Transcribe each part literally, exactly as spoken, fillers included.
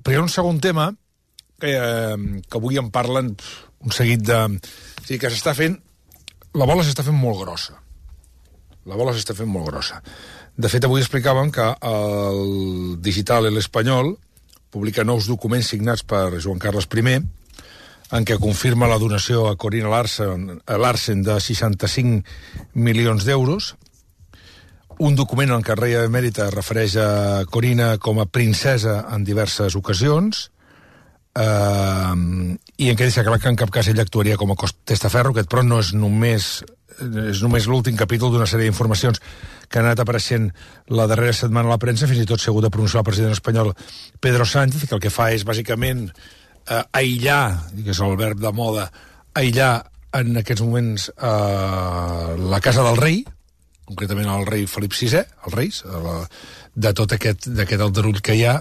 Però hi ha un segon tema que, eh, que avui en parlen un seguit de... O sigui, que s'està fent... La bola s'està fent molt grossa. La bola s'està fent molt grossa. De fet, avui explicàvem que el Digital El Espanyol publica nous documents signats per Joan Carles I, en què confirma la donació a Corina Larsen, a Larsen de seixanta-cinc milions d'euros, un document en què el rei emèrit es refereix a Corina com a princesa en diverses ocasions, eh, i en què deixa clar que en cap cas ell actuaria com a testaferro, aquest però no és només, és només l'últim capítol d'una sèrie d'informacions que han anat apareixent la darrera setmana a la premsa, fins i tot s'ha hagut de pronunciar el president espanyol Pedro Sánchez, que el que fa és bàsicament eh, aïllar, que és el verb de moda, aïllar en aquests moments eh, la casa del rei, concretament el rei Felip sisè, els reis, la, de tot aquest, d'aquest aldarull que hi ha.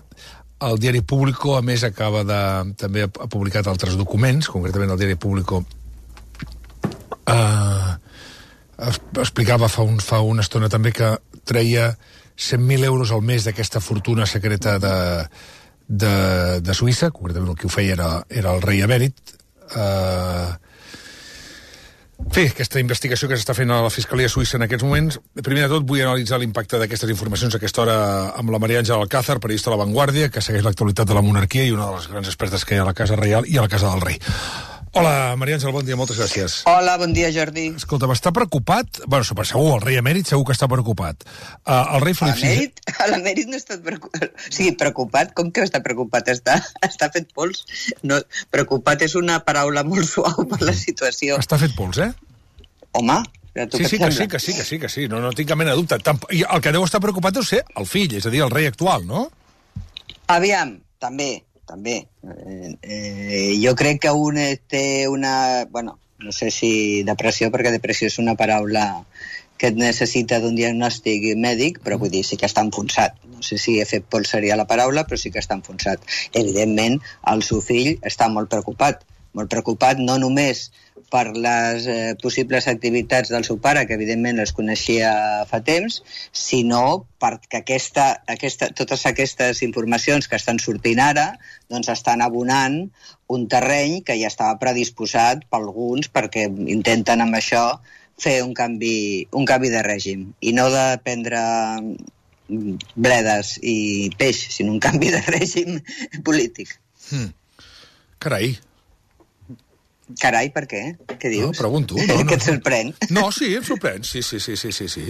El diari Público, a més, acaba de... també ha publicat altres documents, concretament el diari Público eh, explicava fa, un, fa una estona també que treia cent mil euros al mes d'aquesta fortuna secreta de, de, de Suïssa, concretament el que ho feia era, era el rei emèrit. Eh, Bé, aquesta investigació que s'està fent a la Fiscalia Suïssa en aquests moments. Primer de tot, vull analitzar l'impacte d'aquestes informacions a aquesta hora amb la Maria Àngela Alcázar, periodista de La Vanguardia, que segueix l'actualitat de la monarquia i una de les grans expertes que hi ha a la Casa Reial i a la Casa del Rei. Hola, Maria Àngela, bon dia, moltes gràcies. Hola, bon dia, Jordi. Escolta, està preocupat? Bueno, segur, el rei emèrit segur que està preocupat. Uh, el rei Felip sisè... L'emèrit no està preocupat. O sigui, preocupat? Com que està preocupat? Està, està fet pols. No, preocupat és una paraula molt suau per la situació. Està fet pols, eh? Home, sí, sí, que sí, que sí, que sí, que sí. No, no tinc cap mena de dubte. I el que deu estar preocupat deu ser el fill, és a dir, el rei actual, no? Aviam, també, també. Eh, eh, jo crec que un té una... Bueno, no sé si depressió, perquè depressió és una paraula que necessita d'un diagnòstic mèdic, però vull dir, sí que està enfonsat. No sé si he fet pols seria la paraula, però sí que està enfonsat. Evidentment, el seu fill està molt preocupat. Molt preocupat no només per les eh, possibles activitats del seu pare, que evidentment les coneixia fa temps, sinó perquè aquesta, aquesta, totes aquestes informacions que estan sortint ara doncs estan abonant un terreny que ja estava predisposat per alguns perquè intenten amb això fer un canvi, un canvi de règim. I no de prendre bledes i peix, sinó un canvi de règim polític. Hmm. Carai. Carai, per què? Què dius? No, pregunto. No, no, que et sorprèn? No, sí, em sorprèn. Sí, sí, sí, sí, sí, sí.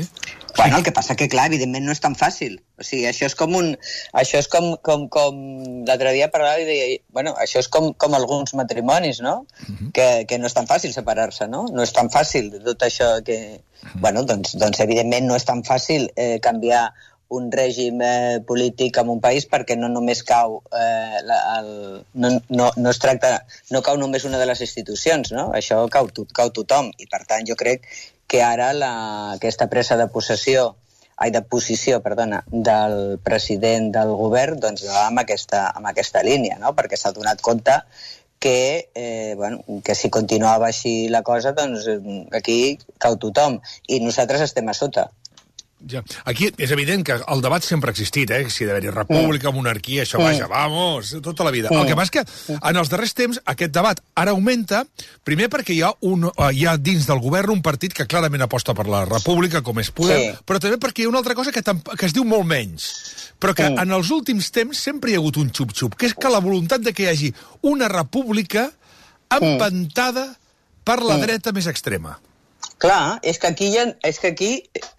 Bueno, el que passa que, clar, evidentment no és tan fàcil. O sigui, això és com un... Això és com... com, com l'altre dia parlava i deia... Bueno, això és com, com alguns matrimonis, no? Uh-huh. Que, que no és tan fàcil separar-se, no? No és tan fàcil tot això que... Uh-huh. Bueno, doncs, doncs evidentment no és tan fàcil eh, canviar un règim eh, polític en un país perquè no només cau eh, la, el, no, no, no es tracta, no cau només una de les institucions, no? Això cau, cau tothom i per tant jo crec que ara la, aquesta presa de possessió ai, de posició, perdona, del president del govern doncs va amb aquesta, amb aquesta línia, no? Perquè s'ha donat compte que, eh, bueno, que si continuava així la cosa doncs aquí cau tothom i nosaltres estem a sota. Ja. Aquí és evident que el debat sempre ha existit, eh? Si ha d'haver-hi república, monarquia, això, vaja, vamos, tota la vida. El que passa és que en els darrers temps aquest debat ara augmenta, primer perquè hi ha, un, hi ha dins del govern un partit que clarament aposta per la república, com és Podem, sí. Però també perquè hi ha una altra cosa que, que es diu molt menys, però que en els últims temps sempre hi ha hagut un xup-xup, que és que la voluntat de que hi hagi una república empantada per la dreta més extrema. Clar, és que aquí, ja, és que aquí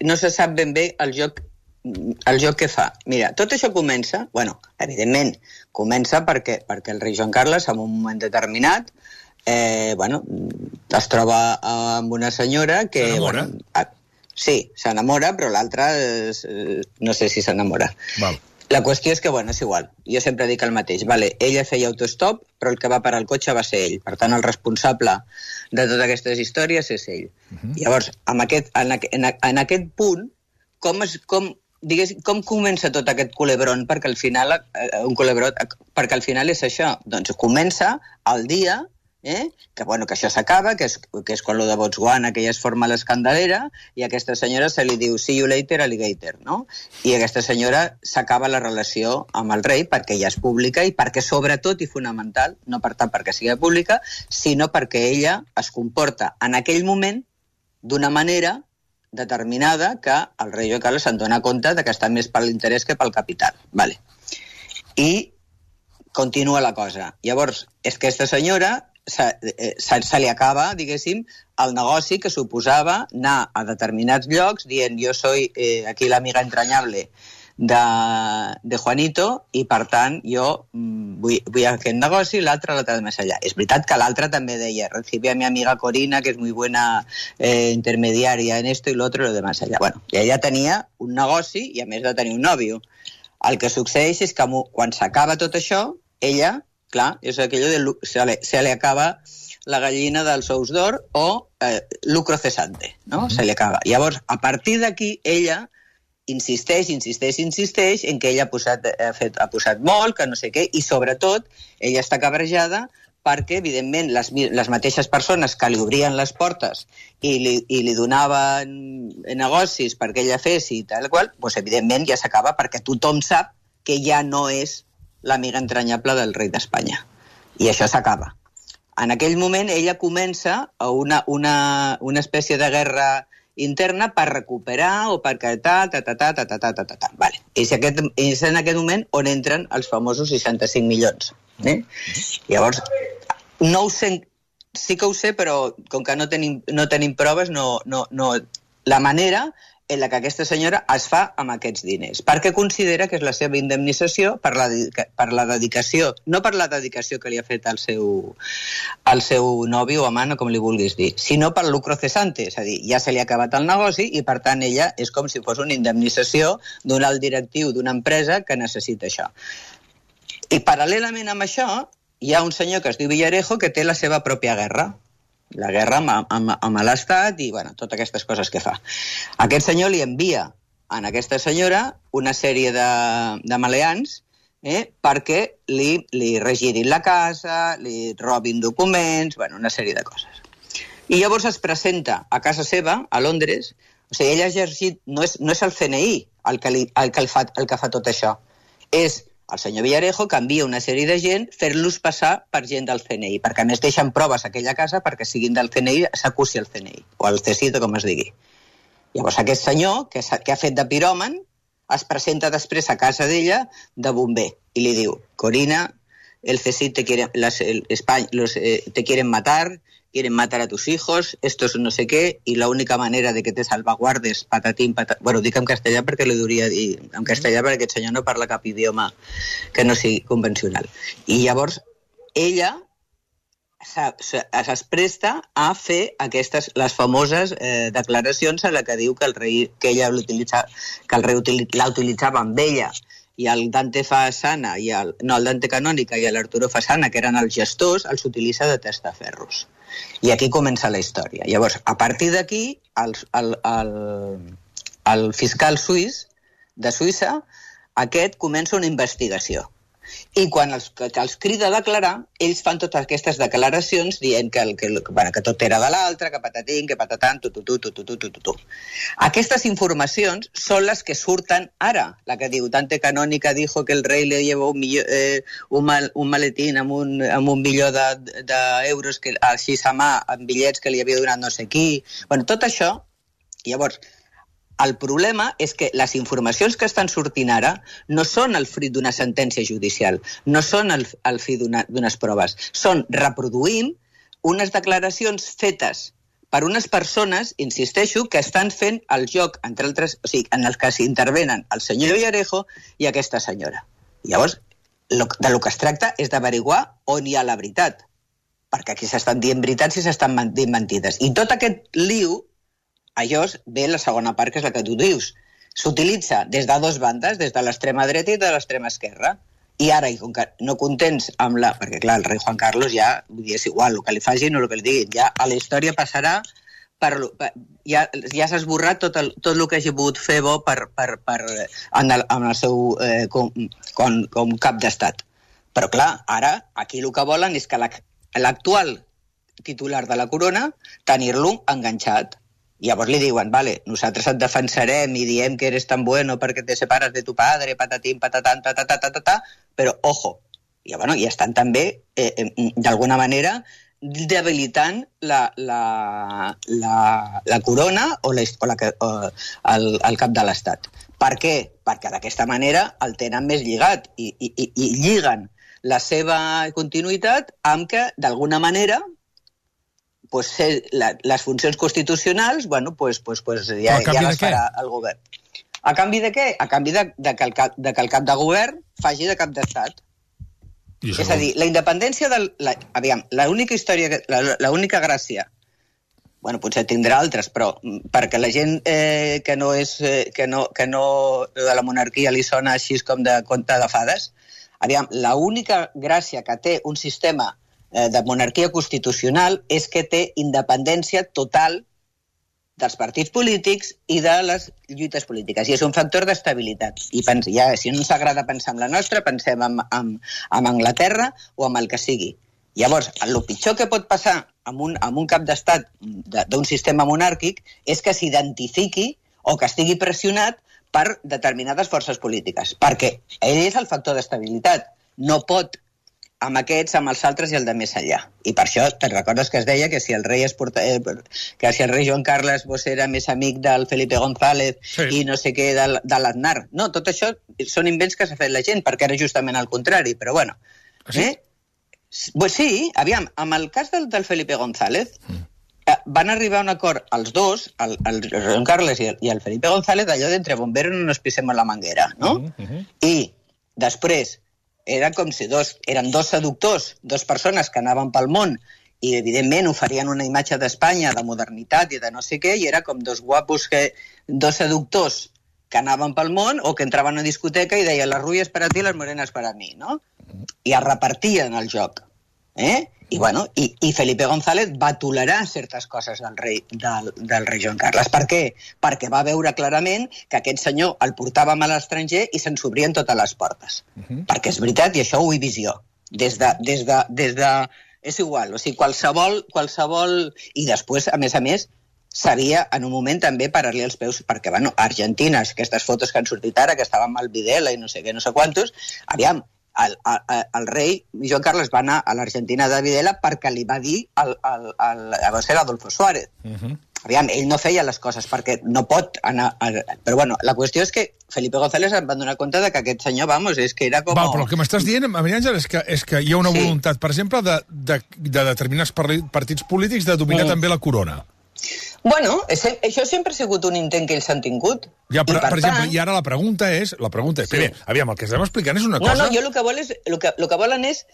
no se sap ben bé el joc, el joc que fa. Mira, tot això comença, bueno, evidentment, comença perquè, perquè el rei Joan Carles, en un moment determinat, eh, bueno, es troba amb una senyora que... S'enamora? Bueno, sí, s'enamora, però l'altra eh, no sé si s'enamora. Val. La qüestió és que, bueno, és igual. Jo sempre dic el mateix. Vale, ella feia autostop, però el que va parar el cotxe va ser ell. Per tant, el responsable de totes aquestes històries és ell. Uh-huh. Llavors, en aquest, en, en, en aquest punt, com, es, com, digués, com comença tot aquest culebron? Perquè al final, eh, un culebrot, perquè al final és això. Doncs comença el dia eh? que, bueno, que això s'acaba, que, és, que és quan lo de Botswana, que ja es forma l'escandalera, i a aquesta senyora se li diu see you later, alligator, no? I aquesta senyora s'acaba la relació amb el rei perquè ja és pública i perquè, sobretot i fonamental, no per tant perquè sigui pública, sinó perquè ella es comporta en aquell moment d'una manera determinada que el rei Joan Carles se'n dona compte de que està més per l'interès que pel capital. Vale. I continua la cosa. Llavors, és que aquesta senyora se, se, se li acaba, diguéssim, el negoci que suposava anar a determinats llocs dient jo soy eh, aquí l'amiga entrañable de, de Juanito i, per tant, jo mm, vull, vull aquest negoci, l'altre l'altre de més allà. És veritat que l'altre també deia recibí a mi amiga Corina, que és muy buena eh, intermediària en esto i l'altre lo de més allà. Bueno, i ella tenia un negoci i, a més de tenir un nòvio. El que succeeix és que quan s'acaba tot això, ella, clar, és aquello de se le, se le acaba la gallina dels ous d'or o eh, lucro cesante, no? Mm-hmm. Se li acaba. Llavors, a partir d'aquí, ella insisteix, insisteix, insisteix en que ella ha posat, ha, fet, ha posat molt, que no sé què, i sobretot ella està cabrejada perquè, evidentment, les, les mateixes persones que li obrien les portes i li, i li donaven negocis perquè ella fes i tal qual, doncs, evidentment, ja s'acaba perquè tothom sap que ja no és l'amiga entranyable del rei d'Espanya. I això s'acaba. En aquell moment ella comença a una, una, una espècie de guerra interna per recuperar o per ta, ta, ta, ta, ta, ta, ta, ta, ta, ta. Vale. És, aquest, és en aquest moment on entren els famosos seixanta-cinc milions. Eh? Llavors, no ho sé, sí que ho sé, però com que no tenim, no tenim proves, no, no, no, la manera en la que aquesta senyora es fa amb aquests diners, perquè considera que és la seva indemnització per la, per la dedicació, no per la dedicació que li ha fet al seu, al seu nòvio o amant, o com li vulguis dir, sinó per lucro cesante, és a dir, ja se li ha acabat el negoci i, per tant, ella és com si fos una indemnització d'un alt directiu d'una empresa que necessita això. I, paral·lelament amb això, hi ha un senyor que es diu Villarejo que té la seva pròpia guerra, la guerra amb, amb, amb l'Estat i, bueno, totes aquestes coses que fa. Aquest senyor li envia a aquesta senyora una sèrie de, de maleants eh, perquè li, li regirin la casa, li robin documents, bueno, una sèrie de coses. I llavors es presenta a casa seva, a Londres, o sigui, ella ha exercit, no és, no és el C N I el que, li, el, que el, fa, el que fa tot això, és el senyor Villarejo que envia una sèrie de gent fer-los passar per gent del C N I, perquè a més deixen proves a aquella casa perquè siguin del C N I s'acusi el C N I, o el C S I T, com es digui. Llavors aquest senyor, que, que ha fet de piròman, es presenta després a casa d'ella de bomber i li diu, Corina, el C S I T te quiere, las, el, España, los, eh, te quieren matar, quieren matar a tus hijos, esto es no sé qué, y la única manera de que te salvaguardes, patatín, patatín... Bueno, ho dic en castellà perquè li hauria dir en castellà perquè aquest senyor no parla cap idioma que no sigui convencional. I llavors ella es presta a fer aquestes, les famoses eh, declaracions en la que diu que el rei, que ella l'utilitza, que el rei util, la utilitzava amb ella i el Dante Fasana, i el, no, el Dante Canònica i l'Arturo Fasana, que eren els gestors, els utilitza de testaferros. I aquí comença la història. Llavors, a partir d'aquí, el, el, el, el fiscal suís de Suïssa, aquest comença una investigació. I quan els, que els crida a declarar, ells fan totes aquestes declaracions dient que, el, que, bueno, que tot era de l'altre, que patatín, que patatan, tu, tu, tu, tu, tu, tu, tu, tu. Aquestes informacions són les que surten ara. La que diu, Dante Canònica dijo que el rei le llevó un, milló, eh, un, mal, un maletín amb un, amb un milió d'euros de, de així a mà, amb bitllets que li havia donat no sé qui. Bueno, tot això, llavors... El problema és que les informacions que estan sortint ara no són el fruit d'una sentència judicial, no són el, el fruit d'unes proves, són reproduint unes declaracions fetes per unes persones, insisteixo, que estan fent el joc, entre altres, o sigui, en el que s'intervenen el senyor Villarejo i aquesta senyora. Llavors, lo, de lo que es tracta és d'averiguar on hi ha la veritat, perquè aquí s'estan dient veritats i s'estan dient mentides. I tot aquest liu, a llavors ve la segona part, que és la que tu dius. S'utilitza des de dues bandes, des de l'extrema dreta i de l'extrema esquerra. I ara, i com que no contents amb la... Perquè, clar, el rei Juan Carlos ja, vull dir, és igual, el que li facin o el que li diguin, ja a la història passarà per... per ja ja s'ha esborrat tot el, tot el que hagi pogut fer bo per, per, per, en, el, en el seu eh, com, com, com cap d'estat. Però, clar, ara, aquí el que volen és que l'actual titular de la corona, tenir-lo enganxat. Llavors li diuen, vale, nosaltres et defensarem i diem que eres tan bueno perquè te separes de tu padre, patatín, patatán, tatatatatatà, però, ojo, i, bueno, i estan també, eh, eh, d'alguna manera, debilitant la, la, la, la corona o, la, o, la, o el, el cap de l'Estat. Per què? Perquè d'aquesta manera el tenen més lligat i, i, i, i lliguen la seva continuïtat amb que, d'alguna manera, pues, la, les funcions constitucionals, bueno, pues, pues, pues ja, ja les farà el govern. A canvi de què? A canvi de, de, que el cap, de que el cap de govern faci de cap d'estat. És a dir, la independència del... La, aviam, l'única història, l'única gràcia, bueno, potser tindrà altres, però perquè la gent eh, que no és... Eh, que, no, que no de la monarquia li sona així com de conte de fades, aviam, l'única gràcia que té un sistema de monarquia constitucional és que té independència total dels partits polítics i de les lluites polítiques. I és un factor d'estabilitat. I pens, ja, si no ens agrada pensar en la nostra, pensem en, en, en Anglaterra o en el que sigui. Llavors, el pitjor que pot passar amb un, amb un cap d'estat d'un sistema monàrquic és que s'identifiqui o que estigui pressionat per determinades forces polítiques. Perquè ell és el factor d'estabilitat. No pot amb aquests, amb els altres i el de més enllà. I per això, te'n recordes que es deia que si el rei es porta, eh, que si el rei Joan Carles vos era més amic del Felipe González sí. i no sé què de, de l'Aznar. No, tot això són invents que s'ha fet la gent, perquè era justament el contrari, però bueno. Sí? Eh? Pues sí, aviam, amb el cas del, del Felipe González, mm. eh, van arribar a un acord els dos, el, el Joan Carles i el, i el Felipe González, d'allò d'entre bombero no nos pisem la manguera, no? Mm -hmm. I després era com si dos, eren dos seductors, dos persones que anaven pel món i, evidentment, oferien una imatge d'Espanya, de modernitat i de no sé què, i era com dos guapos, que, dos seductors que anaven pel món o que entraven a una discoteca i deien les rubies per a ti, les morenes per a mi, no? I es repartien el joc. Eh? I, bueno, i, i Felipe González va tolerar certes coses del rei, del, del rei Joan Carles. Per què? Perquè va veure clarament que aquest senyor el portàvem a l'estranger i se'n s'obrien totes les portes. Uh -huh. Perquè és veritat, i això ho he visió. Des de, des de, des de... És igual, o sigui, qualsevol... qualsevol... I després, a més a més, sabia en un moment també parar-li els peus, perquè, bueno, Argentina, aquestes fotos que han sortit ara, que estaven amb el Videla i no sé què, no sé quantos, aviam, El, el, el rei Joan Carles va anar a l'Argentina de Videla perquè li va dir al, al, al, a ser Adolfo Suárez. Uh -huh. Aviam, ell no feia les coses perquè no pot anar... A... Però bueno, la qüestió és que Felipe González em va donar compte de que aquest senyor, vamos, és que era com... Val, però el que m'estàs dient, Maria Àngel, és que, és que hi ha una sí. voluntat, per exemple, de, de, de determinats partits polítics de dominar mm. també la corona. Bueno, això sempre ha sigut un intent que ells han tingut. Ja, però, I per, per tant... exemple, i ara la pregunta és... La pregunta és... Sí. Primer, aviam, el que estem explicant és una cosa... No, no, jo el que, vol és, el que, el que volen és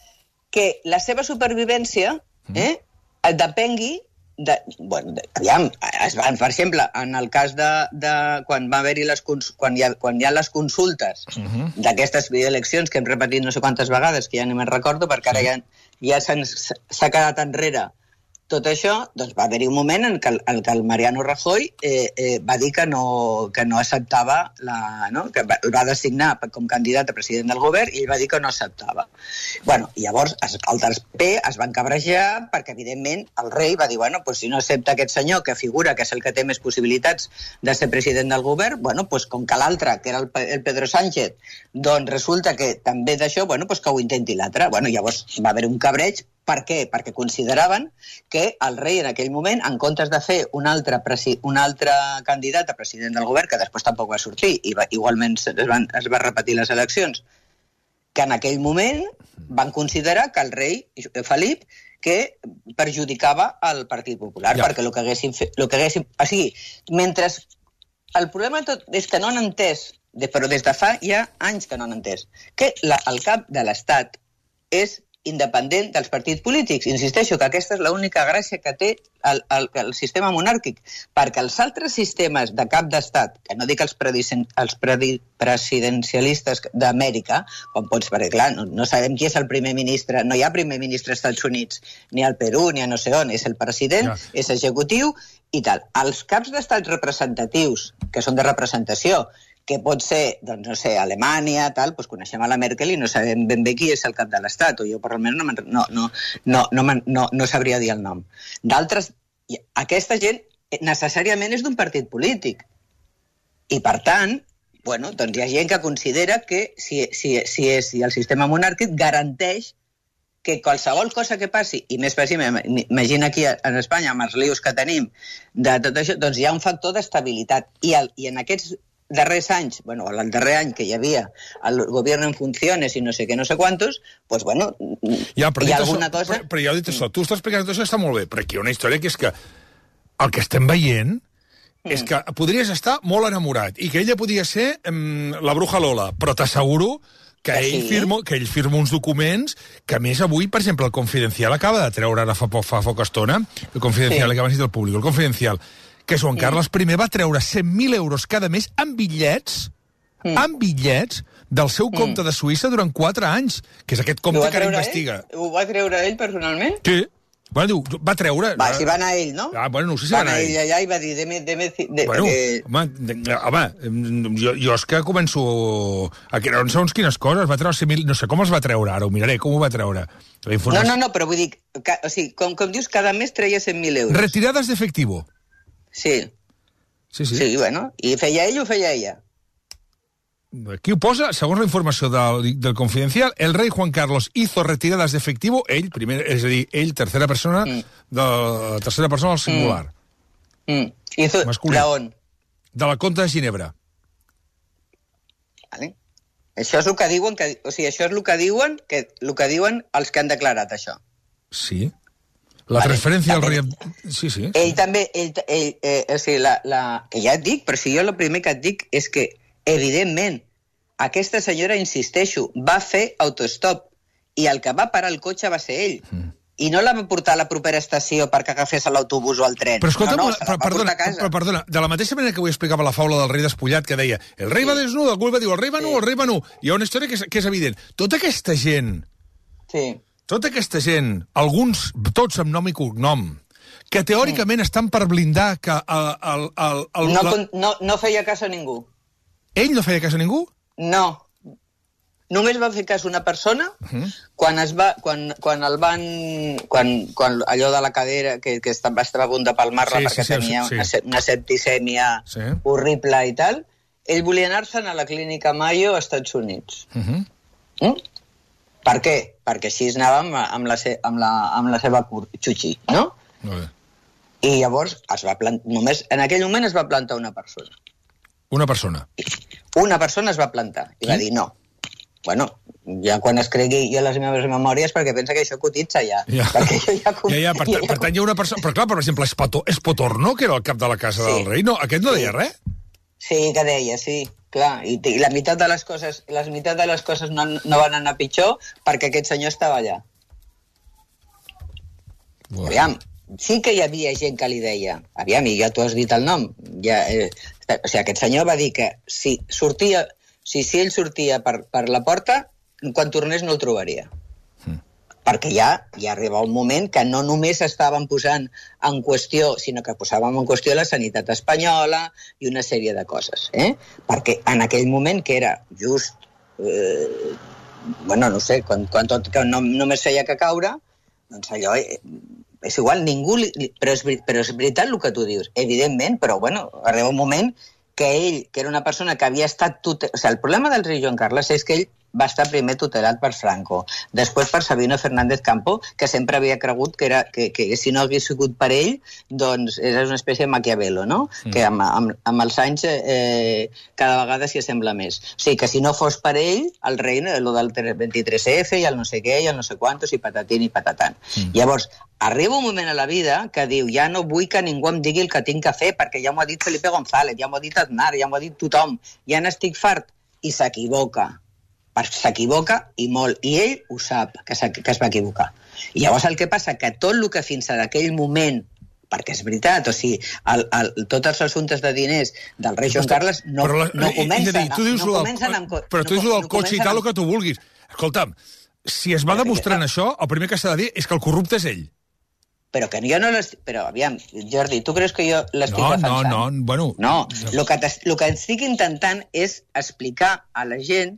que la seva supervivència eh, mm. depengui de... Bueno, de, aviam, es van, per exemple, en el cas de... de quan va haver-hi les... Quan hi ha, quan hi ha les consultes mm -hmm. d'aquestes eleccions que hem repetit no sé quantes vegades, que ja no me'n recordo, perquè ara ja, ja s'ha quedat enrere tot això, doncs va haver-hi un moment en què el, en què el Mariano Rajoy eh, eh, va dir que no, que no acceptava, la, no? que va, va designar com candidat a president del govern i ell va dir que no acceptava. Bueno, i llavors es, altres P es van cabrejar perquè, evidentment, el rei va dir, bueno, pues, si no accepta aquest senyor que figura que és el que té més possibilitats de ser president del govern, bueno, pues, com que l'altre, que era el, el Pedro Sánchez, doncs resulta que també d'això, bueno, pues, que ho intenti l'altre. Bueno, llavors va haver un cabreig. Per què? Perquè consideraven que el rei en aquell moment, en comptes de fer un altre, un altre candidat a president del govern, que després tampoc va sortir, i va, igualment es van, es va repetir les eleccions, que en aquell moment van considerar que el rei Felip que perjudicava el Partit Popular, ja. perquè el que haguessin fet... El que haguessin, o sigui, mentre... El problema tot és que no han entès, però des de fa ja anys que no han entès, que la, el cap de l'Estat és independent dels partits polítics. Insisteixo que aquesta és l'única gràcia que té el, el, el sistema monàrquic, perquè els altres sistemes de cap d'estat, que no dic els, els presidencialistes d'Amèrica, com pots, perquè clar, no, no sabem qui és el primer ministre, no hi ha primer ministre als Estats Units, ni al Perú, ni a no sé on, és el president, ja. és executiu i tal. Els caps d'estat representatius, que són de representació, que pot ser, doncs, no sé, Alemanya, tal, doncs coneixem a la Merkel i no sabem ben bé qui és el cap de l'Estat, o jo per almenys no, no, no, no, no, no, no sabria dir el nom. D'altres, aquesta gent necessàriament és d'un partit polític. I, per tant, bueno, doncs hi ha gent que considera que si, si, si, és, si el sistema monàrquic garanteix que qualsevol cosa que passi, i més fàcil, imagina aquí en Espanya, amb els lius que tenim, de tot això, doncs hi ha un factor d'estabilitat. I, el, i en aquests darrers anys, bueno, el darrer any que hi havia el govern en funciones i no sé què, no sé quantos, doncs, bueno, ja, hi ha alguna això, cosa... Però, però ja ho dit això, tu estàs explicant tot això, està molt bé, però aquí hi ha una història que és que el que estem veient és que podries estar molt enamorat i que ella podia ser um, la bruja Lola, però t'asseguro que, que, ell sí. firma, que ell firma uns documents que, a més, avui, per exemple, el Confidencial acaba de treure ara fa, fa poca estona, el Confidencial, sí. que abans dit el públic, el Confidencial, que Joan Carles I va treure cent mil euros cada mes en bitllets, mm. en bitllets del seu compte mm. de Suïssa durant quatre anys, que és aquest compte que ara investiga. Ell? Ho va treure ell personalment? Sí. Bueno, diu, va treure... Va, si va anar ell, no? Ah, bueno, no sé si va, va anar ell. Va anar ell allà i va dir... Deme, deme, de, bueno, de... home, de, home jo, jo és que començo... A que no segons quines coses, va treure cent mil... No sé com els va treure, ara ho miraré, com ho va treure. No, no, no, però vull dir... Que, o sigui, com, com dius, cada mes treia cent mil euros. Retirades d'efectivo. Sí. Sí, sí. Sí, bueno, i feia ell o feia ella? Aquí ho posa, segons la informació del, del Confidencial, el rei Juan Carlos hizo retiradas de efectivo, ell, primer, és a dir, ell, tercera persona, mm. de tercera persona al singular. Mm. Mm. Hizo, masculí. ¿on? De la Conta de Ginebra. Vale. Això és el que diuen, que, o sigui, això és el que diuen, que, el que diuen els que han declarat això. Sí. La vale. Transferència al rei... Sí, sí. Ell sí. també, ell, ell, eh, o sigui, la, la, que ja et dic, però si jo el primer que et dic és que evidentment, aquesta senyora, insisteixo, va fer autostop i el que va parar el cotxe va ser ell. Mm. I no la va portar a la propera estació perquè agafés l'autobús o el tren. Però escolta, no, no, però, perdona, però, perdona, de la mateixa manera que avui explicava la faula del rei despullat, que deia, el rei sí. va desnud, algú va dir, el rei va nu, sí. el rei va nu. Hi ha una història que és, que és evident. Tota aquesta gent, sí. tota aquesta gent, alguns, tots amb nom i cognom, que teòricament sí. estan per blindar que el... el, el, el no, la... no, no feia cas a ningú. Ell no feia cas a ningú? No. Només va fer cas una persona uh -huh. quan es va, quan, quan el van, quan, quan allò de la cadera que, que estava, estava a punt de palmar-la sí, perquè sí, tenia sí, sí. Una, una septicèmia sí. horrible i tal, ell volia anar-se'n a la clínica Mayo als Estats Units. Uh -huh. mm? Per què? Perquè així anava amb, amb, la, se, amb, la, amb la seva xuxi, no? Uh -huh. I llavors es va plant... només en aquell moment es va plantar una persona. Una persona? Una persona es va plantar i va dir no. Bueno, ja quan es cregui jo les meves memòries, perquè pensa que això cotitza ja. Ja, perquè jo ja, com... ja, ja, per, ja, per tant hi ha una persona... Però clar, per exemple, Espotorno, que era el cap de la casa sí. del rei, no, aquest no deia res? Sí, que deia, sí, clar. I, i la meitat de les coses, les meitat de les coses no, no van anar pitjor perquè aquest senyor estava allà. Bueno. Aviam, sí que hi havia gent que li deia, aviam, i ja tu has dit el nom, ja, eh, o sigui, aquest senyor va dir que si sortia... Si, si ell sortia per, per la porta, quan tornés no el trobaria. Mm. Perquè ja, ja arriba un moment que no només estaven posant en qüestió, sinó que posàvem en qüestió la sanitat espanyola i una sèrie de coses. Eh? Perquè en aquell moment, que era just... Eh, bueno, no sé, quan, quan tot que no, només feia que caure, doncs allò... Eh, és igual, ningú... Li, però, és, però és veritat el que tu dius, evidentment, però bueno, arriba un moment... que ell, que era una persona que havia estat... Tutel... O sigui, el problema del rei Joan Carles és que ell va estar primer tutelat per Franco, després per Sabino Fernández Campo, que sempre havia cregut que, era, que, que si no hagués sigut per ell, doncs era una espècie de Maquiavelo, no? Mm. Que amb, amb, amb els anys eh, cada vegada s'hi assembla més. O sigui, que si no fos per ell, el rei, el del vint-i-tres efe, i el no sé què, i el no sé quantos, i patatín i patatant. Mm. Llavors, arriba un moment a la vida que diu, ja no vull que ningú em digui el que tinc que fer, perquè ja m'ho ha dit Felipe González, ja m'ho ha dit Aznar, ja m'ho ha dit tothom, ja n'estic fart, i s'equivoca. S'equivoca i molt, i ell ho sap, que, que es va equivocar. I llavors el que passa que tot el que fins a aquell moment, perquè és veritat, o sigui, el, el, tots els assumptes de diners del rei Joan Carles no, la, no comencen, no, no comencen amb... Però tu dius no, del cotxe no i tal, el que tu vulguis. Escolta'm, si es va demostrant això, el primer que s'ha de dir és que el corrupte és ell. però que jo no l'estic... Però, aviam, Jordi, tu creus que jo l'estic no, defensant? No, no, bueno... No, el que, el que estic intentant és explicar a la gent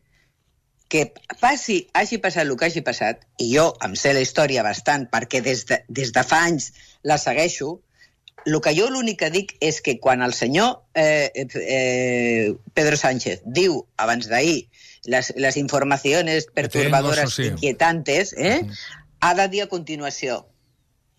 que passi, hagi passat el que hagi passat, i jo em sé la història bastant, perquè des de, des de fa anys la segueixo, el que jo l'únic que dic és que quan el senyor eh, eh, Pedro Sánchez diu, abans d'ahir, les, les informacions perturbadoras, sí. inquietantes, eh, uh-huh. ha de dir a continuació,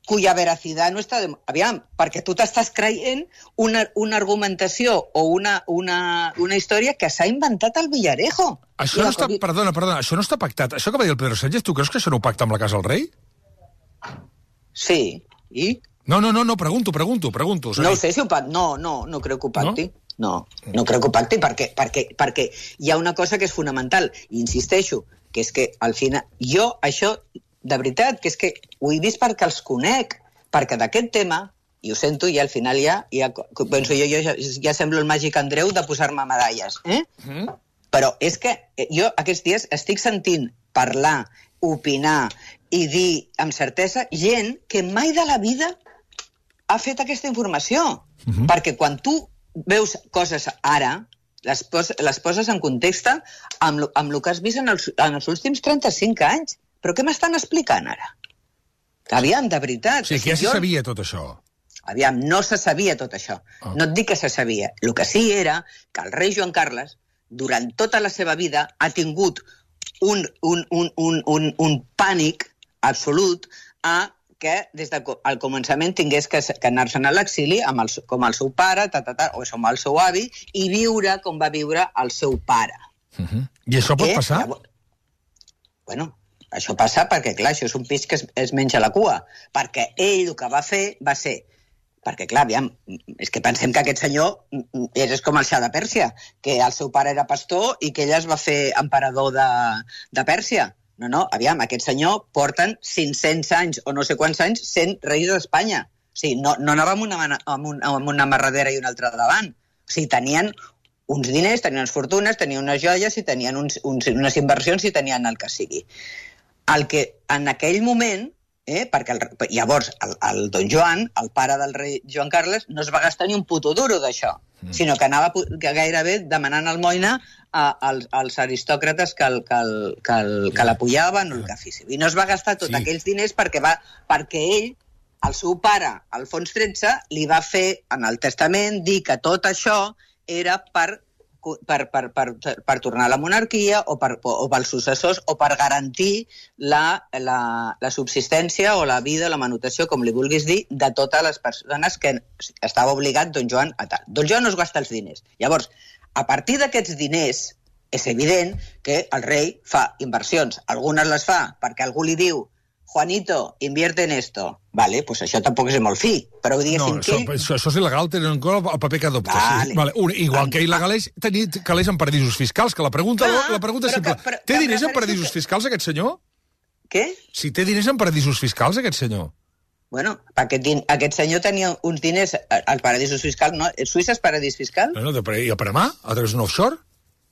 cuya veracidad no està... De... Aviam, perquè tu t'estàs creient una, una argumentació o una, una, una història que s'ha inventat al Villarejo. Això no està... Perdona, perdona, això no està pactat. Això que va dir el Pedro Sánchez, tu creus que això no ho pacta amb la Casa del Rei? Sí, i... No, no, no, no, pregunto, pregunto, pregunto. No sé si ho pacti. No, no, no crec que ho pacti. No, no, no crec que ho pacti perquè, perquè, perquè hi ha una cosa que és fonamental. I insisteixo, que és que al final... Jo, això, de veritat, que és que ho he vist perquè els conec, perquè d'aquest tema, i ho sento, i al final ja, ja penso jo, jo ja, ja semblo el màgic Andreu de posar-me medalles, eh? Mm. Però és que jo aquests dies estic sentint parlar, opinar i dir amb certesa gent que mai de la vida ha fet aquesta informació. Uh-huh. Perquè quan tu veus coses ara, les, pos, les poses en context amb, amb el que has vist en els, en els últims trenta-cinc anys. Però què m'estan explicant ara? Aviam, de veritat. O sigui, que ja se sabia tot això. Aviam, no se sabia tot això. Oh. No et dic que se sabia. El que sí era que el rei Joan Carles, durant tota la seva vida, ha tingut un, un, un, un, un, un pànic absolut a que des del començament tingués que, que anar-se'n a l'exili amb el, com el seu pare, ta, ta, ta, o com el seu avi, i viure com va viure el seu pare. Uh-huh. I això pot passar? Llavors, bueno, això passa perquè, clar, això és un peix que es, es menja la cua. Perquè ell el que va fer va ser... Perquè, clar, aviam, és que pensem que aquest senyor és com el Xa de Pèrsia, que el seu pare era pastor i que ell es va fer emperador de, de Pèrsia. No, no, aviam, aquest senyor porten cinc-cents anys o no sé quants anys sent reis d'Espanya. O sigui, no, no anava amb una, amb, un, amb una amarradera i una altra davant. O sigui, tenien uns diners, tenien unes fortunes, tenien unes joies i tenien uns, uns, unes inversions i tenien el que sigui. El que en aquell moment, eh, perquè el, llavors el, el don Joan, el pare del rei Joan Carles, no es va gastar ni un puto duro d'això, mm. sinó que anava gairebé demanant almoina a, als, als aristòcrates que, el, que, el, que, el, que l'apoyaven o el que fessin. I no es va gastar tots sí. aquells diners perquè, va, perquè ell, el seu pare, Alfons tretze, li va fer en el testament dir que tot això era per... Per, per, per, per tornar a la monarquia o, per, o pels successors o per garantir la, la, la subsistència o la vida, la manutenció, com li vulguis dir, de totes les persones que estava obligat don Joan a tal. Don Joan no es gasta els diners. Llavors, a partir d'aquests diners, és evident que el rei fa inversions. Algunes les fa perquè algú li diu Juanito, invierte en esto. Vale, pues això tampoc és molt fi. Però diguéssim no, això, que... Això, això és il·legal, tenen en compte el paper que adopta. Vale. Sí. Vale. Un, igual que il·legal és tenir calés en paradisos fiscals, que la pregunta, ah, la pregunta és simple. Que, però, té diners en paradisos que... fiscals, aquest senyor? Què? Si té diners en paradisos fiscals, aquest senyor? Bueno, aquest, aquest senyor tenia uns diners als paradisos fiscals, no? Suïssa és paradís fiscal? No, no, de, i a Panamà, a través d'un offshore?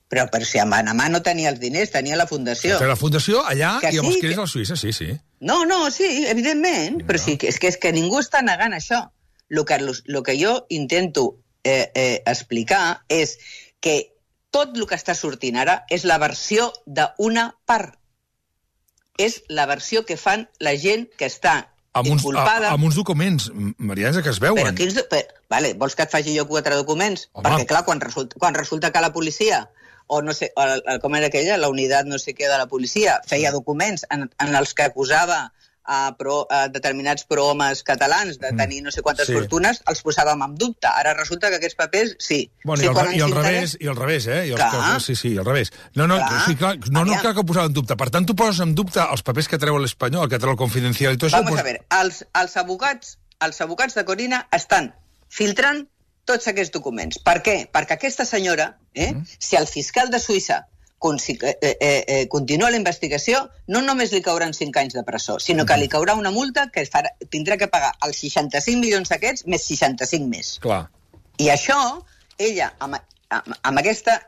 Però, però si a Panamà no tenia els diners, tenia la fundació. Té la fundació allà que i amb sí, els diners que... a la Suïssa, sí, sí. No, no, sí, evidentment, no. Però sí, és que, és que ningú està negant això. El que, lo que jo intento eh, eh, explicar és que tot el que està sortint ara és la versió d'una part. És la versió que fan la gent que està amb uns, inculpada... a, amb uns documents, Marianza, que es veuen. Però quins... Per, vale, vols que et faci jo quatre documents? Home. Perquè, clar, quan resulta, quan resulta que la policia... o no sé, o, com era aquella, la unitat no sé què de la policia, feia documents en, en els que acusava a, pro, a determinats prohomes catalans de tenir no sé quantes sí. fortunes, els posàvem en dubte. Ara resulta que aquests papers, sí. Bueno, sí, i, el, i, el revés, i el revés, eh? I els que, sí, sí, al revés. No, no, clar. Sí, clar, no, no cal que ho posava en dubte. Per tant, tu poses en dubte els papers que treu l'Espanyol, que treu el Confidencial i tot això. Vamos pues... a ver, els, els, advocats, els advocats de Corina estan filtrant tots aquests documents. Per què? Perquè aquesta senyora, eh, mm. si el fiscal de Suïssa eh, eh, eh, continua la investigació, no només li cauran cinc anys de presó, sinó que li caurà una multa que farà, tindrà que pagar els seixanta-cinc milions d'aquests més seixanta-cinc més. Clar. I això, ella, amb, amb, amb aquesta,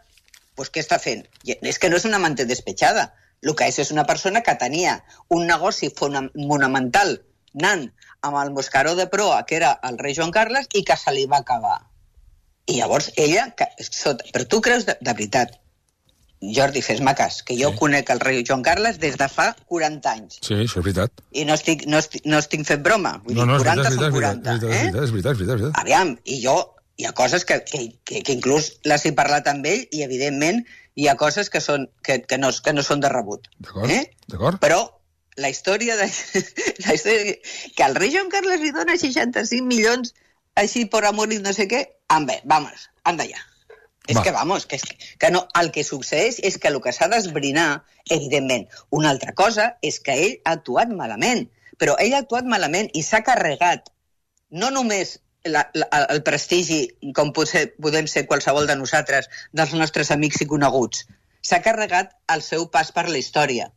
doncs què està fent? És que no és una amante despechada. El que és és una persona que tenia un negoci fonamental anant amb el Moscaró de proa, que era el rei Joan Carles, i que se li va acabar. I llavors ella... Que, sota, però tu creus de, de veritat, Jordi, fes-me cas, que jo sí. conec el rei Joan Carles des de fa quaranta anys. Sí, això és veritat. I no estic, no estic, no estic fent broma. Vull no, no, dir, quaranta veritat, són quaranta. És veritat, eh? és veritat, és veritat, és veritat, és veritat. Aviam, i jo... Hi ha coses que, que, que, que inclús les he parlat amb ell i, evidentment, hi ha coses que, són, que, que, no, que no són de rebut. D'acord, eh? d'acord. Però la història, de, la història... Que el rei Joan Carles li dona seixanta-cinc milions així por amor i no sé què, ande, vamos, anda ya. És Va. que, vamos, que, és que, que no, el que succeeix és que el que s'ha d'esbrinar, evidentment, una altra cosa és que ell ha actuat malament, però ell ha actuat malament i s'ha carregat no només la, la, el prestigi, com potser podem ser qualsevol de nosaltres, dels nostres amics i coneguts, s'ha carregat el seu pas per la història.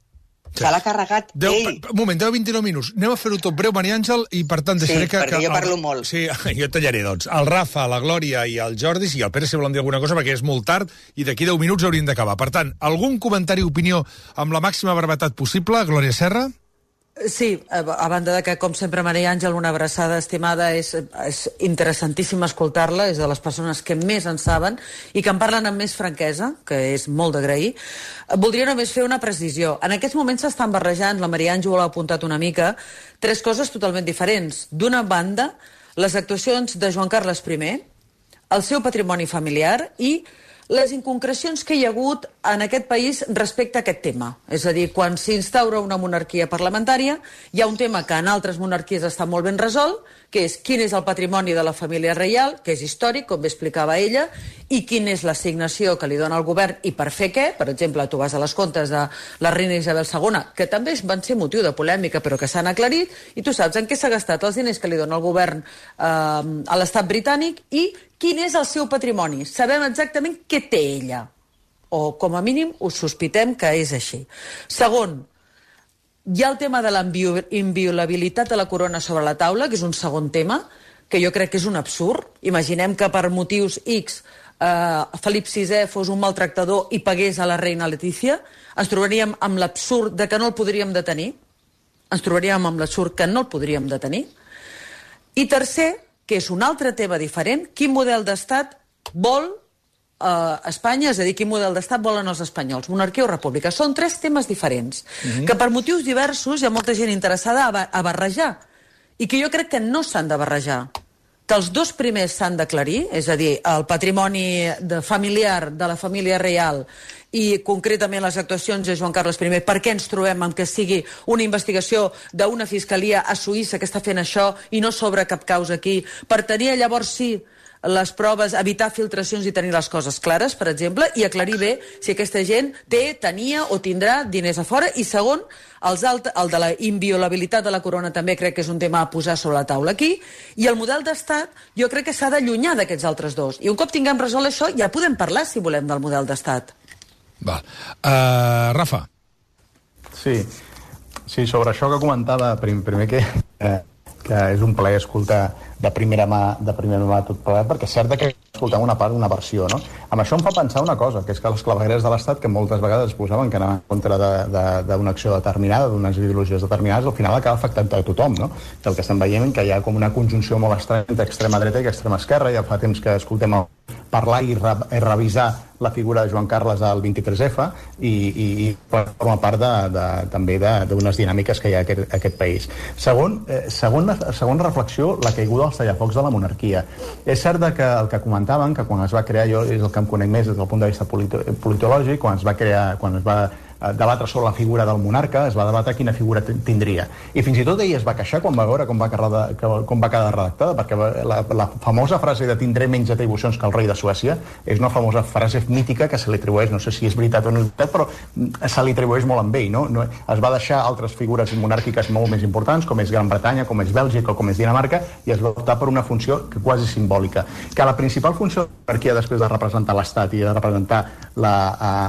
Se l'ha carregat deu, ell. Un moment, deu vint-i-nou minuts. Anem a fer-ho tot breu, Maria Àngel, i per tant deixaré sí, que... Sí, perquè que jo parlo el, molt. Sí, jo tallaré, doncs. El Rafa, la Glòria i el Jordi, si el Pere si volen dir alguna cosa, perquè és molt tard, i d'aquí deu minuts hauríem d'acabar. Per tant, algun comentari o opinió amb la màxima brevetat possible? Glòria Serra? Sí, a banda de que, com sempre, Maria Àngel, una abraçada estimada, és, és interessantíssim escoltar-la, és de les persones que més en saben i que en parlen amb més franquesa, que és molt d'agrair. Voldria només fer una precisió. En aquests moments s'estan barrejant, la Maria Àngel ho ha apuntat una mica, tres coses totalment diferents. D'una banda, les actuacions de Joan Carles primer, el seu patrimoni familiar i les inconcrecions que hi ha hagut en aquest país respecte a aquest tema. És a dir, quan s'instaura una monarquia parlamentària, hi ha un tema que en altres monarquies està molt ben resolt, que és quin és el patrimoni de la família reial, que és històric, com bé explicava ella, i quina és l'assignació que li dona el govern i per fer què. Per exemple, tu vas a les comptes de la reina Isabel segona, que també van ser motiu de polèmica, però que s'han aclarit, i tu saps en què s'ha gastat els diners que li dona el govern eh, a l'estat britànic i quin és el seu patrimoni. Sabem exactament què té ella. O, com a mínim, ho sospitem que és així. Segon, hi ha el tema de la inviolabilitat de la corona sobre la taula, que és un segon tema, que jo crec que és un absurd. Imaginem que per motius X eh, Felip sisè fos un maltractador i pagués a la reina Letícia. Ens trobaríem amb l'absurd de que no el podríem detenir. Ens trobaríem amb l'absurd que no el podríem detenir. I tercer, que és un altre tema diferent, quin model d'estat vol Uh, Espanya, és a dir, quin model d'estat volen els espanyols, monarquia o república. Són tres temes diferents, mm-hmm. que per motius diversos hi ha molta gent interessada a, a barrejar, i que jo crec que no s'han de barrejar. Que els dos primers s'han d'aclarir, és a dir, el patrimoni de familiar de la família reial i concretament les actuacions de Joan Carles primer, per què ens trobem amb que sigui una investigació d'una fiscalia a Suïssa que està fent això i no s'obre cap causa aquí, per tenir llavors sí les proves, evitar filtracions i tenir les coses clares, per exemple, i aclarir bé si aquesta gent té, tenia o tindrà diners a fora. I segon, els alt, el de la inviolabilitat de la corona també crec que és un tema a posar sobre la taula aquí, i el model d'estat jo crec que s'ha d'allunyar d'aquests altres dos. I un cop tinguem resolt això, ja podem parlar, si volem, del model d'estat. Val. Uh, Rafa. Sí. sí, sobre això que comentava, prim, primer que... Eh, que és un plaer escoltar de primera mà, de primera mà tot plegat, perquè és cert que escoltem una part, una versió, no? Amb això em fa pensar una cosa, que és que les clavegueres de l'Estat, que moltes vegades es posaven que anaven en contra d'una acció determinada, d'unes ideologies determinades, al final acaba afectant a tothom, no? Que el que estem veient que hi ha com una conjunció molt estranya entre extrema dreta i extrema esquerra, ja fa temps que escoltem el parlar i, re, i revisar la figura de Joan Carles al vint-i-tres efa i, i, i forma part de, de, també d'unes dinàmiques que hi ha a aquest, a aquest país. Segon, eh, segona, segona reflexió, la caiguda dels tallafocs de la monarquia. És cert que el que comentaven, que quan es va crear, jo és el que em conec més des del punt de vista polito, politològic, quan es va crear, quan es va debatre sobre la figura del monarca, es va debatre quina figura tindria. I fins i tot ell es va queixar quan va veure com va quedar, com va quedar redactada, perquè la, la famosa frase de tindré menys atribucions que el rei de Suècia és una famosa frase mítica que se li atribueix, no sé si és veritat o no és veritat, però se li atribueix molt amb ell, no? No, es va deixar altres figures monàrquiques molt més importants, com és Gran Bretanya, com és Bèlgica o com és Dinamarca, i es va optar per una funció que quasi simbòlica. Que la principal funció de la monarquia, després de representar l'Estat i de representar la,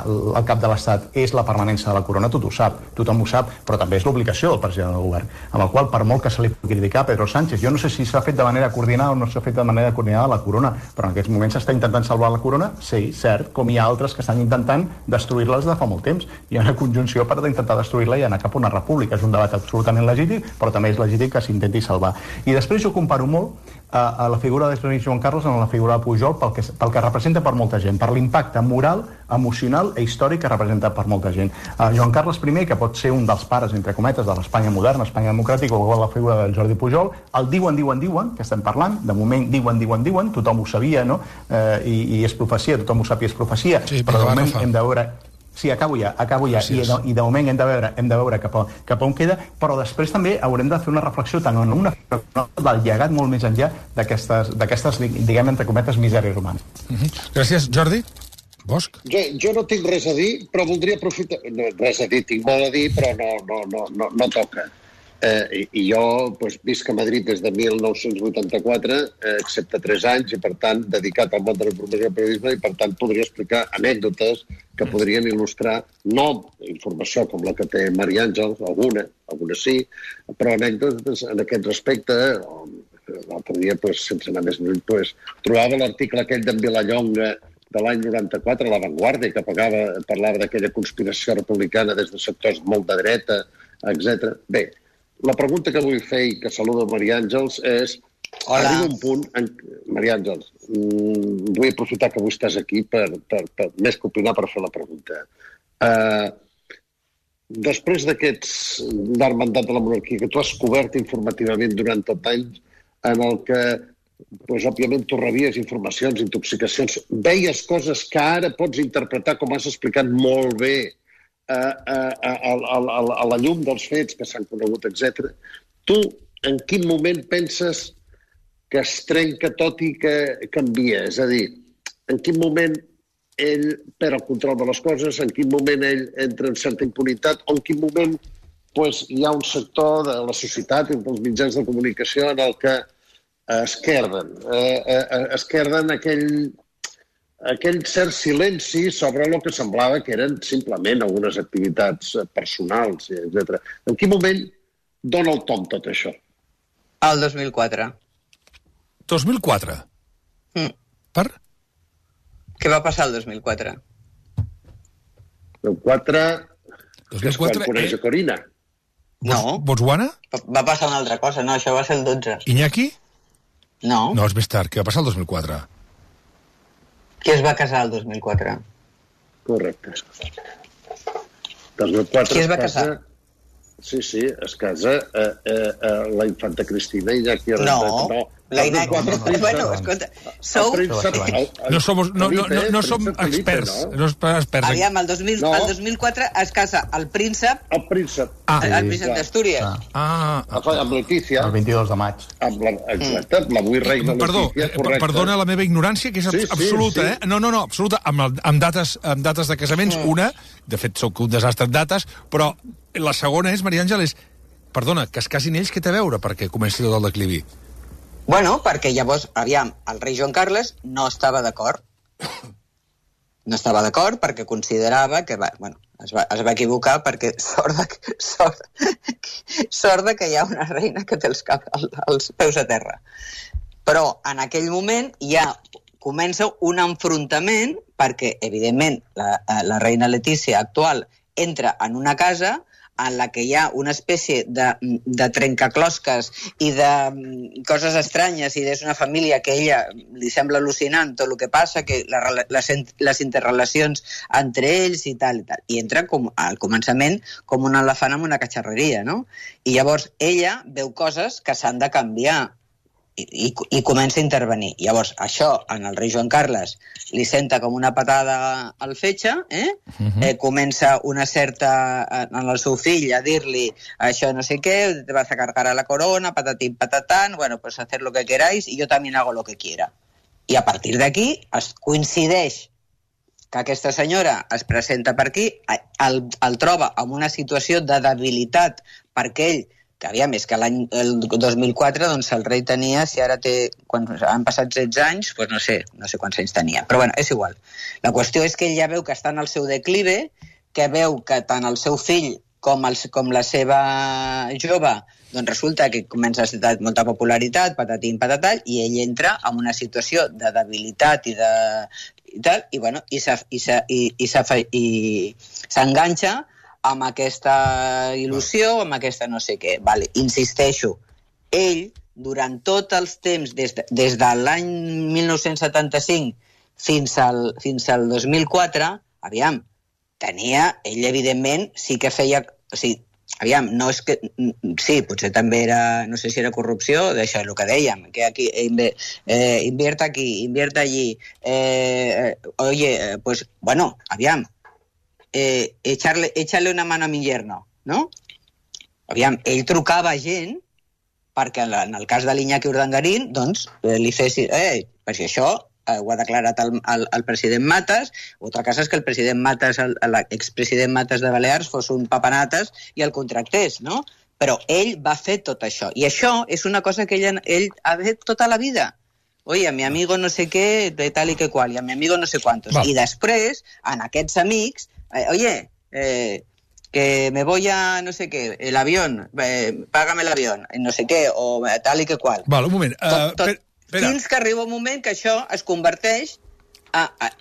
uh, el cap de l'Estat, és la permanència permanència de la corona, tot ho sap, tothom ho sap, però també és l'obligació del president del govern, amb el qual, per molt que se li pugui criticar a Pedro Sánchez, jo no sé si s'ha fet de manera coordinada o no s'ha fet de manera coordinada la corona, però en aquests moments s'està intentant salvar la corona, sí, cert, com hi ha altres que estan intentant destruir-les de fa molt temps. Hi ha una conjunció per intentar destruir-la i anar cap a una república. És un debat absolutament legítim, però també és legítim que s'intenti salvar. I després jo comparo molt a, a la figura de rei Joan Carles amb la figura de Pujol pel que, pel que representa per molta gent, per l'impacte moral, emocional i històric que representa per molta gent. Uh, Joan Carles I, que pot ser un dels pares, entre cometes, de l'Espanya moderna, Espanya democràtica, o la figura del Jordi Pujol, el diuen, diuen, diuen, que estem parlant, de moment diuen, diuen, diuen, tothom ho sabia, no? Uh, i, i és profecia, tothom ho sap i és profecia, sí, però de moment hem de veure... Sí, acabo ja, acabo ja, I de, i de moment hem de veure, hem de veure cap, a, cap a on queda, però després també haurem de fer una reflexió tant en una del llegat molt més enllà d'aquestes, diguem, entre cometes, misèries humanes. Uh -huh. Gràcies, Jordi. Bosch? Jo, jo no tinc res a dir, però voldria aprofitar... No, res a dir, tinc molt a dir, però no, no, no, no, no toca. Eh, i, I jo pues, visc a Madrid des de mil nou-cents vuitanta-quatre, eh, excepte tres anys, i per tant dedicat al món de la informació i el periodisme, i per tant podria explicar anècdotes que podrien il·lustrar, no informació com la que té Maria Àngels, alguna, alguna sí, però anècdotes en aquest respecte. L'altre dia, pues, sense anar més lluny, pues, trobava l'article aquell d'en Vilallonga de l'any noranta-quatre, a La Vanguardia, que pagava, parlava d'aquella conspiració republicana des de sectors molt de dreta, etcètera. Bé, la pregunta que vull fer i que saludo Maria Àngels és... Hola. Arriba un punt... En... Maria Àngels, mm, vull aprofitar que avui estàs aquí per, per, per més que opinar per fer la pregunta. Uh, després d'aquests llarg mandat de la monarquia que tu has cobert informativament durant tot anys, en el que, pues, òbviament, tu rebies informacions, intoxicacions, veies coses que ara pots interpretar, com has explicat molt bé, a, a, a, a, a, a la llum dels fets que s'han conegut, etcètera. Tu, en quin moment penses que es trenca tot i que canvia? És a dir, en quin moment ell perd el control de les coses, en quin moment ell entra en certa impunitat, o en quin moment pues, hi ha un sector de la societat i dels mitjans de comunicació en el que esquerden, eh, eh, esquerden aquell, aquell cert silenci sobre el que semblava que eren simplement algunes activitats personals, etcètera. En quin moment dona el tom tot això? El dos mil quatre. dos mil quatre? Mm. Per? Què va passar el dos mil quatre? El quatre... dos mil quatre és quan coneix a Corina. No. Botswana? Va passar una altra cosa, no, això va ser el dotze. Iñaki? No. No, és més tard. Què va passar el dos mil quatre? Qui es va casar el dos mil quatre? Correcte. dos mil quatre Qui es va casa... casar? Sí, sí, es casa eh, eh, eh, la infanta Cristina i Iñaki No, no. la Iñaki... Bueno, escolta, sou... No som, no, no, no, no som experts. No? No experts. Aviam, el dos mil, no. el dos mil quatre es casa el príncep... El príncep. Ah, el, el príncep d'Astúries. Ah, ah, amb Letícia. El vint-i-dos de maig. Amb la, exacte, mm. l'avui reina Perdó, Letícia, correcte. Perdona la meva ignorància, que és sí, absoluta, sí, sí. eh? No, no, no, absoluta, amb, el, amb, dates, amb dates de casaments, mm. una, de fet, sóc un desastre en dates, però la segona és, Maria Àngel, és, perdona, que es casin ells, què té a veure perquè comenci tot el declivi? Bueno, perquè llavors, aviam, el rei Joan Carles no estava d'acord. No estava d'acord perquè considerava que, va, bueno, es va, es va equivocar perquè sort de, sort, sort de que hi ha una reina que té els, cap, els peus a terra. Però en aquell moment ja comença un enfrontament perquè, evidentment, la, la reina Letícia actual entra en una casa en la que hi ha una espècie de, de trencaclosques i de coses estranyes, i és una família que a ella li sembla al·lucinant tot el que passa, que la, les, les interrelacions entre ells i tal i tal. I entra com, al començament com un elefant amb una catxarreria, no? I llavors ella veu coses que s'han de canviar i, i, i comença a intervenir. Llavors, això, en el rei Joan Carles, li senta com una patada al fetge, eh? Uh-huh. eh comença una certa, en el seu fill, a dir-li això no sé què, te vas a cargar a la corona, patatín, patatán, bueno, pues hacer lo que queráis y yo también hago lo que quiera. I a partir d'aquí es coincideix que aquesta senyora es presenta per aquí, el, el troba en una situació de debilitat perquè ell, que aviam, és que l'any dos mil quatre doncs el rei tenia, si ara té, quan han passat setze anys, doncs no sé, no sé quants anys tenia, però bueno, és igual. La qüestió és que ell ja veu que està en el seu declive, que veu que tant el seu fill com, el, com la seva jove doncs resulta que comença a tenir molta popularitat, patatín, patatall, i ell entra en una situació de debilitat i de... i tal, i bueno, i s'enganxa amb aquesta il·lusió, amb aquesta no sé què. Vale, insisteixo, ell, durant tots els temps, des de, des de l'any mil nou-cents setanta-cinc fins al, fins al dos mil quatre, aviam, tenia, ell evidentment sí que feia... O sigui, aviam, no és que... Sí, potser també era... No sé si era corrupció, d'això és el que dèiem, que aquí eh, invierta aquí, invierta allí. Eh, oye, eh, pues, bueno, aviam, eh, echarle, echarle una mano a mi yerno, ¿no? Aviam, ell trucava gent perquè en el cas de l'Iñaki Urdangarín, doncs, li fes... Eh, per si això eh, ho ha declarat el, el, el president Matas, altra cosa és que el president Matas, l'expresident Matas de Balears, fos un papanates i el contractés, no? Però ell va fer tot això. I això és una cosa que ell, ell ha fet tota la vida. Oye, a mi amigo no sé què, de tal i que qual, i a mi amigo no sé quantos. Va. I després, en aquests amics, eh, oye, eh, que me voy a no sé qué, el avión, eh, págame el avión, no sé què, o tal i que qual. Val, un moment. Uh, tot, tot, per, fins que arriba un moment que això es converteix a... a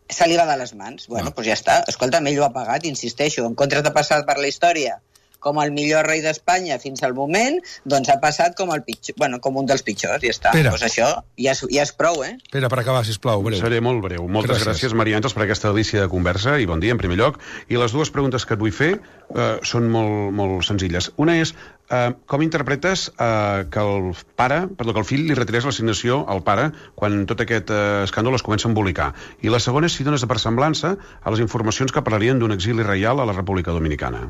se li va de les mans. Bueno, doncs pues ja està. Escolta'm, ell ho ha pagat, insisteixo. En comptes de passar per la història com el millor rei d'Espanya fins al moment, doncs ha passat com el pitjor, bueno, com un dels pitjors, ja està. Doncs pues això ja és, ja és prou, eh? Pere, per acabar, sisplau, breu. Seré molt breu. Moltes gràcies, gràcies Maria Àngels, per aquesta delícia de conversa, i bon dia, en primer lloc. I les dues preguntes que et vull fer eh, són molt, molt senzilles. Una és, eh, com interpretes eh, que el pare, perdó, que el fill li retirés l'assignació al pare quan tot aquest eh, escàndol es comença a embolicar? I la segona és si dones de persemblança a les informacions que parlarien d'un exili reial a la República Dominicana.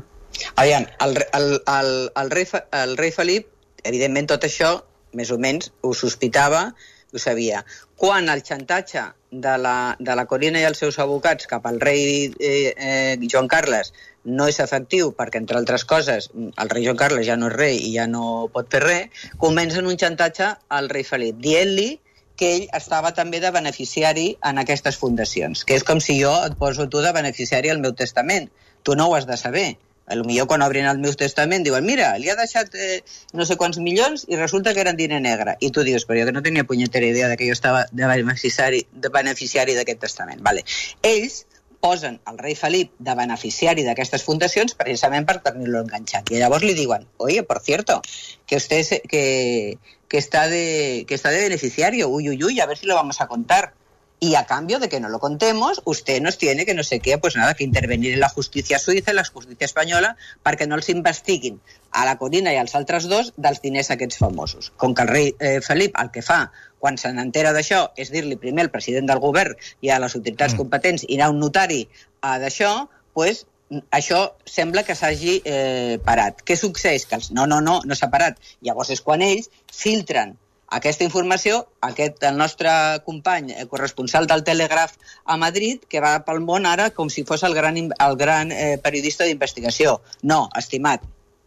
Aviam, el, el, el, el, rei, el rei Felip, evidentment tot això, més o menys, ho sospitava, ho sabia. Quan el xantatge de la, de la Corina i els seus advocats cap al rei eh, eh, Joan Carles no és efectiu, perquè, entre altres coses, el rei Joan Carles ja no és rei i ja no pot fer res, comencen un xantatge al rei Felip, dient-li que ell estava també de beneficiari en aquestes fundacions, que és com si jo et poso tu de beneficiari al meu testament. Tu no ho has de saber. Potser quan obrin el meu testament diuen, mira, li ha deixat eh, no sé quants milions i resulta que eren diner negre. I tu dius, però jo que no tenia punyetera idea de que jo estava de beneficiari de beneficiari d'aquest testament. Vale. Ells posen el rei Felip de beneficiari d'aquestes fundacions precisament per tenir-lo enganxat. I llavors li diuen, oye, por cierto, que usted es, que, que, está de, que está de beneficiario, uy, uy, uy, a ver si lo vamos a contar. Y a cambio de que no lo contemos, usted nos tiene que no sé qué, pues nada, que intervenir en la justícia suïssa, en la justícia espanyola, perquè no els investiguin a la Corina i als altres dos dels diners aquests famosos. Com que el rei eh, Felip el que fa quan se n'entera d'això és dir-li primer al president del govern i a les autoritats mm. competents i anar a un notari a d'això, pues, això sembla que s'hagi eh, parat. Què succeeix? Que els... No, no, no, no s'ha parat. Llavors és quan ells filtren aquesta informació, aquest, el nostre company, el corresponsal del Telègraf a Madrid, que va pel món ara com si fos el gran, el gran eh, periodista d'investigació. No, estimat,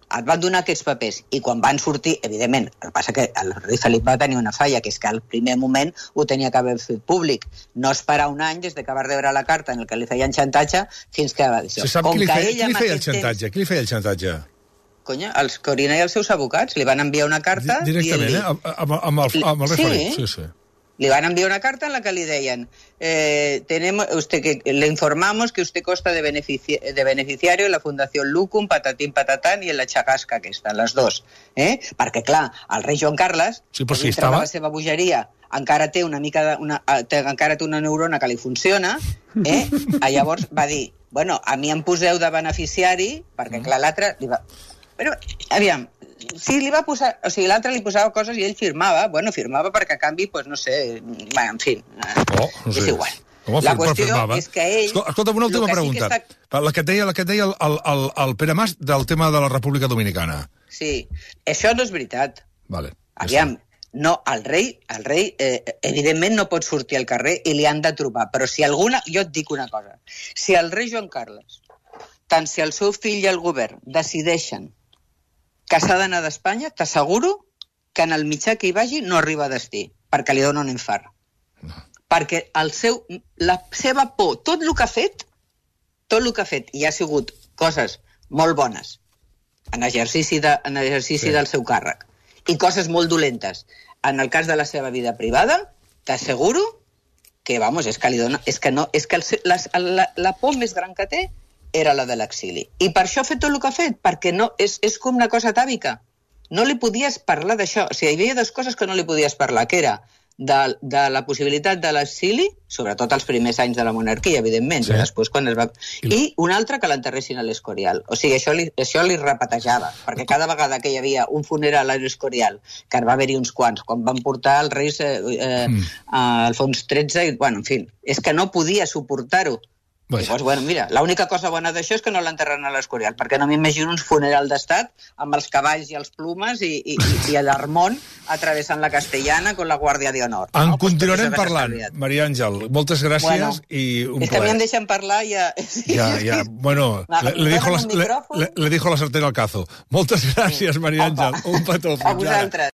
et van donar aquests papers i quan van sortir, evidentment, el que passa que el rei Felip va tenir una falla, que és que al primer moment ho tenia que haver fet públic. No esperar un any des de que va rebre la carta en el que li feien xantatge fins que va dir això. Se sap qui li feia, qui li feia el xantatge? Temps... Qui li feia el xantatge? Conya, els Corina i els seus advocats li van enviar una carta... Directament, eh? Amb, amb, el, amb el rei Felip. Sí, sí. Le van enviar una carta en la que le deien eh, tenemos, usted que le informamos que usted consta de, benefici de beneficiario en la Fundación Lucum, patatín patatán i en la Chagasca aquesta, les dos. Eh? Perquè, clar, el rei Joan Carles, sí, però si dintre estava... de la seva bogeria, encara té una mica de, una, té, encara té una neurona que li funciona, eh? Llavors va dir, bueno, a mi em poseu de beneficiari, perquè, clar, l'altre... Va... Però, aviam, si li va posar... O sigui, l'altre li posava coses i ell firmava. Bueno, firmava perquè a canvi, pues, no sé... Bueno, en fi, oh, no sé. És igual. Com la qüestió és que ell... Escolta'm, una última pregunta. Sí està... La que et deia, la que et deia el, el, el, el Pere Mas del tema de la República Dominicana. Sí, això no és veritat. Vale. Aviam, no, el rei, el rei eh, evidentment no pot sortir al carrer i li han de trobar. Però si alguna... Jo et dic una cosa. Si el rei Joan Carles, tant si el seu fill i el govern decideixen que s'ha d'anar d'Espanya, t'asseguro que en el mitjà que hi vagi no arriba a destí, perquè li dona un infart. No. Perquè el seu, la seva por, tot el que ha fet, tot el que ha fet i ha sigut coses molt bones en exercici, de, en exercici sí. del seu càrrec i coses molt dolentes en el cas de la seva vida privada, t'asseguro que, vamos, és que li dona... És que, no, és que el, la, la, la por més gran que té era la de l'exili. I per això ha fet tot el que ha fet, perquè no, és, és com una cosa atàvica. No li podies parlar d'això. O sigui, hi havia dues coses que no li podies parlar, que era de, de la possibilitat de l'exili, sobretot els primers anys de la monarquia, evidentment, sí. després quan es va... I una altra, que l'enterressin a l'Escorial. O sigui, això li, això li repetejava, perquè cada vegada que hi havia un funeral a l'Escorial, que va haver-hi uns quants, quan van portar els reis eh, eh, mm. a Alfons tretze, i, bueno, en fi, és que no podia suportar-ho. Bueno. Llavors, bueno, mira, l'única cosa bona d'això és que no l'enterren a l'Escorial, perquè no m'imagino un funeral d'estat amb els cavalls i els plumes i, i, i l'Armont atravessant la Castellana con la Guàrdia d'Honor. En no? continuarem pues parlant, Maria Àngel. Moltes gràcies bueno, i un és que plaer. a mi em deixen parlar i ja... Ja, ja, bueno, le, le, dijo la, le, le dijo la sartén al cazo. Moltes gràcies, Maria Àngel. Un petó. A vosaltres.